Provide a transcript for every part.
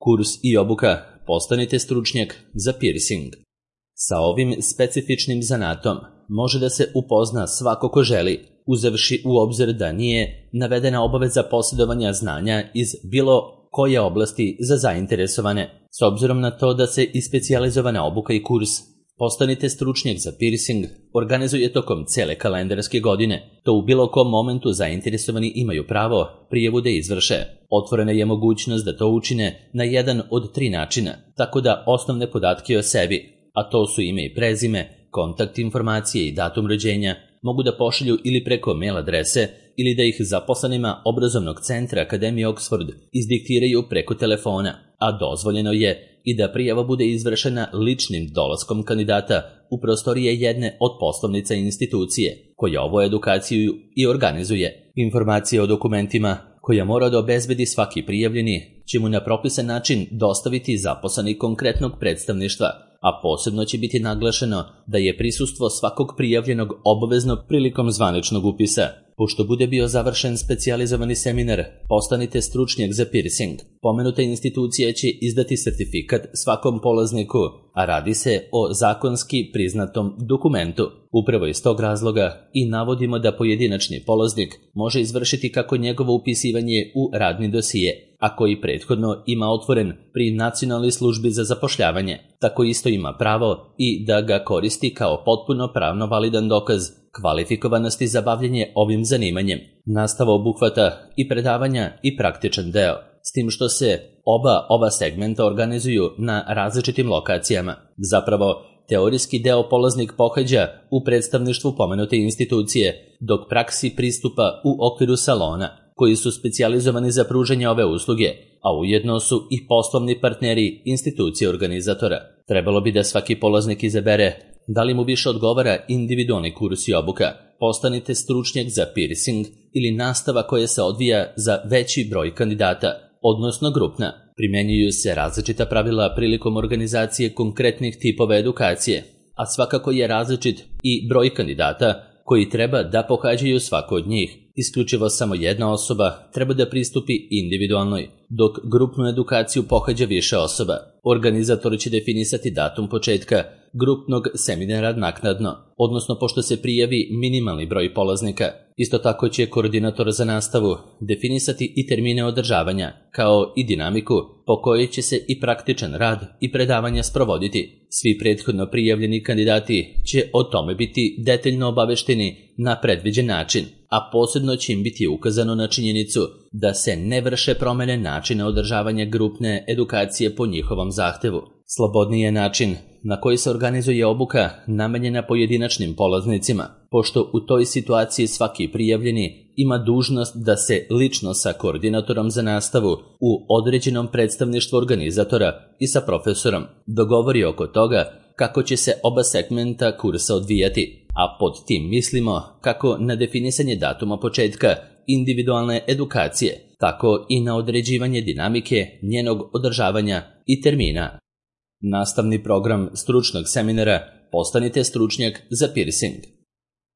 Kurs i obuka, postanite stručnjak za piercing. Sa ovim specifičnim zanatom može da se upozna svako ko želi, uzevši u obzir da nije navedena obaveza posjedovanja znanja iz bilo koje oblasti za zainteresovane. S obzirom na to da se i specijalizovana obuka i kurs Postanite stručnjak za piercing organizuje tokom cele kalendarske godine. To u bilo kom momentu zainteresovani imaju pravo prijavu da izvrše. Otvorena je mogućnost da to učine na jedan od 3 načina, tako da osnovne podatke o sebi, a to su ime i prezime, kontakt informacije i datum rođenja, mogu da pošalju ili preko mail adrese ili da ih zaposlenima obrazovnog centra Akademije Oxford izdiktiraju preko telefona, a dozvoljeno je i da prijava bude izvršena ličnim dolaskom kandidata u prostorije jedne od poslovnica institucije, koja ovu edukaciju i organizuje. Informacije o dokumentima koja mora da obezbedi svaki prijavljeni će mu na propisan način dostaviti zaposleni konkretnog predstavništva, a posebno će biti naglašeno da je prisustvo svakog prijavljenog obavezno prilikom zvaničnog upisa. Pošto bude bio završen specijalizovani seminar Postanite stručnjak za piercing, pomenuta institucija će izdati sertifikat svakom polazniku, a radi se o zakonski priznatom dokumentu. Upravo iz tog razloga i navodimo da pojedinačni polaznik može izvršiti kako njegovo upisivanje u radni dosije, a koji prethodno ima otvoren pri Nacionalnoj službi za zapošljavanje, tako isto ima pravo i da ga koristi kao potpuno pravno validan dokaz kvalifikovanosti za bavljenje ovim zanimanjem. Nastava obuhvata i predavanja i praktičan deo, s tim što se ova segmenta organizuju na različitim lokacijama. Zapravo, teorijski deo polaznik pohađa u predstavništvu pomenute institucije, dok praksi pristupa u okviru salona, koji su specijalizovani za pružanje ove usluge, a ujedno su i poslovni partneri institucije organizatora. Trebalo bi da svaki polaznik izabere da li mu više odgovara individualni kurs i obuka, postanite stručnjak za piercing ili nastava koja se odvija za veći broj kandidata, odnosno grupna. Primenjuju se različita pravila prilikom organizacije konkretnih tipova edukacije, a svakako je različit i broj kandidata koji treba da pohađaju svako od njih. Isključivo samo jedna osoba treba da pristupi individualnoj, dok grupnu edukaciju pohađa više osoba. Organizator će definisati datum početka grupnog seminara naknadno, odnosno pošto se prijavi minimalni broj polaznika. Isto tako će koordinator za nastavu definisati i termine održavanja, kao i dinamiku po kojoj će se i praktičan rad i predavanja sprovoditi. Svi prethodno prijavljeni kandidati će o tome biti detaljno obavešteni na predviđen način, a posebno će im biti ukazano na činjenicu da se ne vrše promene načina održavanja grupne edukacije po njihovom zahtevu. Slobodniji je način na koji se organizuje obuka namenjena pojedinačnim polaznicima, pošto u toj situaciji svaki prijavljeni ima dužnost da se lično sa koordinatorom za nastavu u određenom predstavništvu organizatora i sa profesorom dogovori oko toga kako će se oba segmenta kursa odvijati, a pod tim mislimo kako na definisanje datuma početka individualne edukacije, tako i na određivanje dinamike njenog održavanja i termina. Nastavni program stručnog seminara Postanite stručnjak za piercing.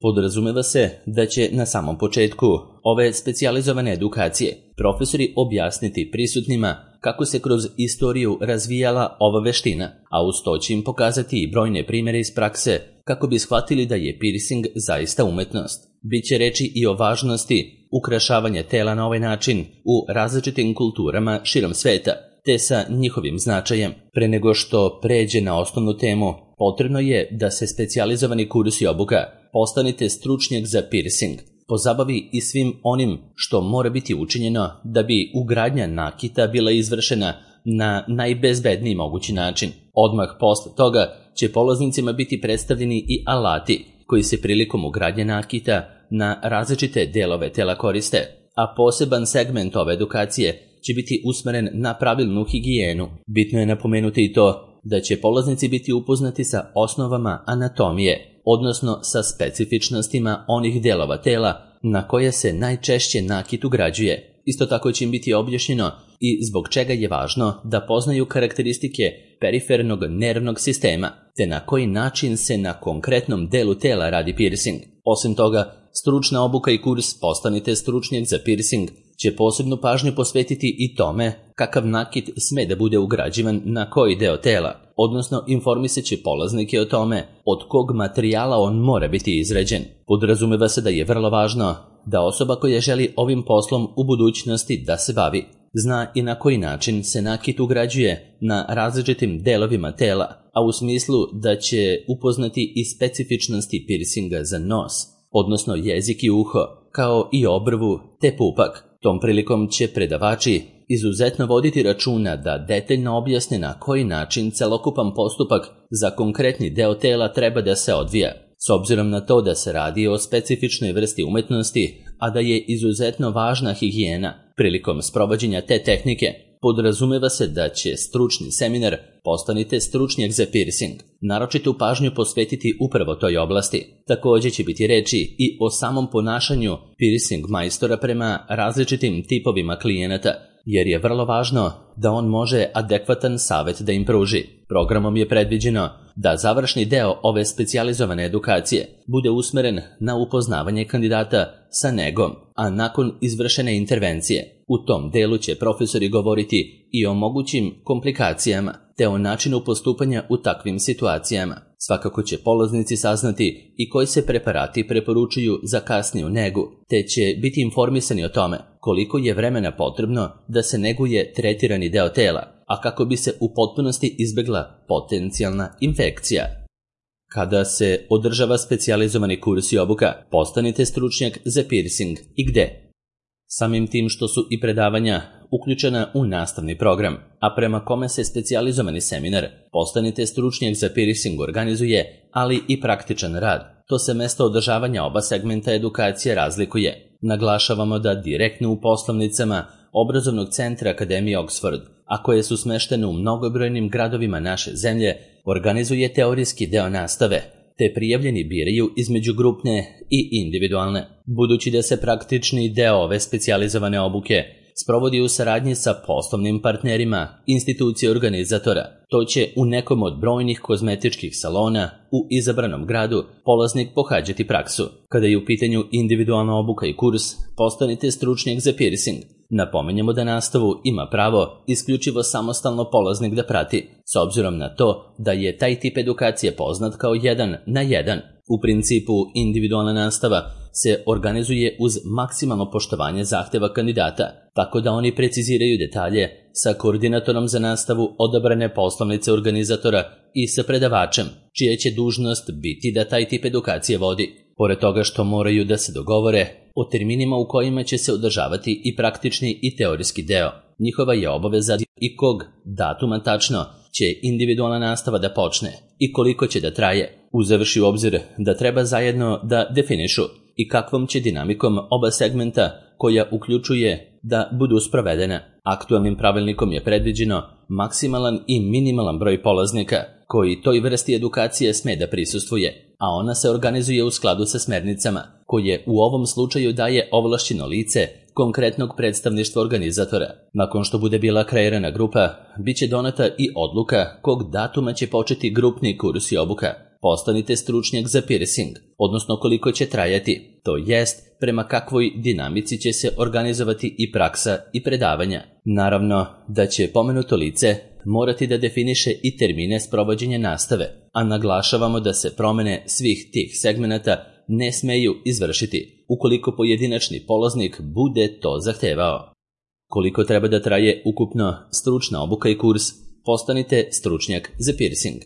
Podrazumeva se da će na samom početku ove specijalizovane edukacije profesori objasniti prisutnima kako se kroz istoriju razvijala ova veština, a uz to će im pokazati i brojne primjere iz prakse kako bi shvatili da je piercing zaista umetnost. Biće reči i o važnosti ukrašavanja tela na ovaj način u različitim kulturama širom sveta, te sa njihovim značajem. Pre nego što pređe na osnovnu temu, potrebno je da se specijalizovani kurs i obuka Postanite stručnjak za piercing pozabavi i svim onim što mora biti učinjeno da bi ugradnja nakita bila izvršena na najbezbedniji mogući način. Odmah posle toga će polaznicima biti predstavljeni i alati koji se prilikom ugradnje nakita na različite delove tela koriste, a poseban segment ove edukacije će biti usmeren na pravilnu higijenu. Bitno je napomenuti i to da će polaznici biti upoznati sa osnovama anatomije, odnosno sa specifičnostima onih delova tela na koje se najčešće nakit ugrađuje. Isto tako će im biti objašnjeno i zbog čega je važno da poznaju karakteristike perifernog nervnog sistema, te na koji način se na konkretnom delu tela radi piercing. Osim toga, stručna obuka i kurs Postanite stručnjak za piercing će posebnu pažnju posvetiti i tome kakav nakit sme da bude ugrađivan na koji deo tela, odnosno informisat će polaznike o tome od kog materijala on mora biti izrađen. Podrazumeva se da je vrlo važno da osoba koja želi ovim poslom u budućnosti da se bavi, zna i na koji način se nakit ugrađuje na različitim delovima tela, a u smislu da će upoznati i specifičnosti piercinga za nos, odnosno jezik i uho, kao i obrvu te pupak. Tom prilikom će predavači izuzetno voditi računa da detaljno objasne na koji način celokupan postupak za konkretni deo tela treba da se odvija, s obzirom na to da se radi o specifičnoj vrsti umetnosti, a da je izuzetno važna higijena prilikom sprovođenja te tehnike. Podrazumeva se da će stručni seminar Postanite stručnjak za piercing naročitu pažnju posvetiti upravo toj oblasti. Također će biti reči i o samom ponašanju piercing majstora prema različitim tipovima klijenata, jer je vrlo važno da on može adekvatan savjet da im pruži. Programom je predviđeno da završni deo ove specijalizovane edukacije bude usmeren na upoznavanje kandidata sa negom, a nakon izvršene intervencije u tom delu će profesori govoriti i o mogućim komplikacijama te o načinu postupanja u takvim situacijama. Svakako će polaznici saznati i koji se preparati preporučuju za kasniju negu, te će biti informisani o tome koliko je vremena potrebno da se neguje tretirani deo tela, a kako bi se u potpunosti izbegla potencijalna infekcija. Kada se održava specijalizovani kurs i obuka, postanite stručnjak za piercing i gde? Samim tim što su i predavanja uključena u nastavni program, a prema kome se specijalizovani seminar Postanite stručnjak za piercing organizuje, ali i praktičan rad, to se mesto održavanja oba segmenta edukacije razlikuje. Naglašavamo da direktno u poslovnicama obrazovnog centra Akademije Oxford, a koje su smeštene u mnogobrojnim gradovima naše zemlje, organizuje teorijski deo nastave, te prijavljeni biraju između grupne i individualne. Budući da se praktični deo ove specijalizovane obuke sprovodi u saradnji sa poslovnim partnerima institucije organizatora, to će u nekom od brojnih kozmetičkih salona u izabranom gradu polaznik pohađati praksu. Kada je u pitanju individualna obuka i kurs, postanite stručnjak za piercing. Napominjemo da nastavu ima pravo isključivo samostalno polaznik da prati, s obzirom na to da je taj tip edukacije poznat kao 1 na 1. U principu, individualna nastava se organizuje uz maksimalno poštovanje zahteva kandidata, tako da oni preciziraju detalje sa koordinatorom za nastavu odabrane poslovnice organizatora i sa predavačem, čija će dužnost biti da taj tip edukacije vodi. Pored toga što moraju da se dogovore o terminima u kojima će se održavati i praktični i teorijski deo, njihova je obaveza i kog datuma tačno će individualna nastava da počne i koliko će da traje, uzevši u obzir da treba zajedno da definišu i kakvom će dinamikom oba segmenta koja uključuje da budu sprovedena. Aktualnim pravilnikom je predviđeno maksimalan i minimalan broj polaznika koji toj vrsti edukacije sme da prisustvuje, a ona se organizuje u skladu sa smernicama koje u ovom slučaju daje ovlašćeno lice konkretnog predstavništva organizatora. Nakon što bude bila kreirana grupa, bit će doneta i odluka kog datuma će početi grupni kurs i obuka. Postanite stručnjak za piercing, odnosno koliko će trajati, to jest prema kakvoj dinamici će se organizovati i praksa i predavanja. Naravno da će pomenuto lice morati da definiše i termine sprovođenja nastave, a naglašavamo da se promene svih tih segmenata ne smeju izvršiti ukoliko pojedinačni polaznik bude to zahtevao. Koliko treba da traje ukupno stručna obuka i kurs, postanite stručnjak za piercing.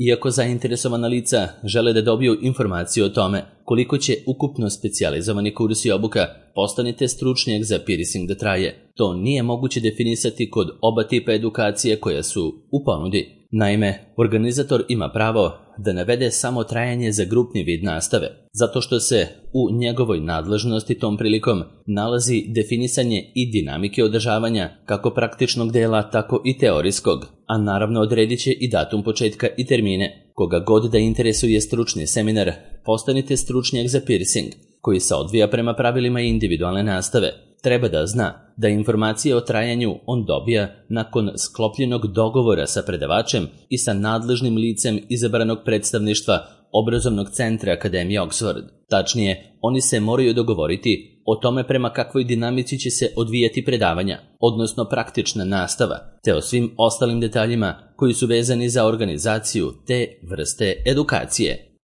Iako zainteresovana lica žele da dobiju informaciju o tome koliko će ukupno specijalizovani kurs i obuka postanite stručnjak za piercing da traje, to nije moguće definisati kod oba tipa edukacije koja su u ponudi. Naime, organizator ima pravo da navede samo trajanje za grupni vid nastave, zato što se u njegovoj nadležnosti tom prilikom nalazi definisanje i dinamike održavanja kako praktičnog dela, tako i teorijskog, a naravno odredit će i datum početka i termine. Koga god da interesuje stručni seminar, postanite stručnjak za piercing, koji se odvija prema pravilima individualne nastave. Treba da zna da informacije o trajanju on dobija nakon sklopljenog dogovora sa predavačem i sa nadležnim licem izabranog predstavništva obrazovnog centra Akademije Oxford. Tačnije, oni se moraju dogovoriti o tome prema kakvoj dinamici će se odvijati predavanja, odnosno praktična nastava, te o svim ostalim detaljima koji su vezani za organizaciju te vrste edukacije.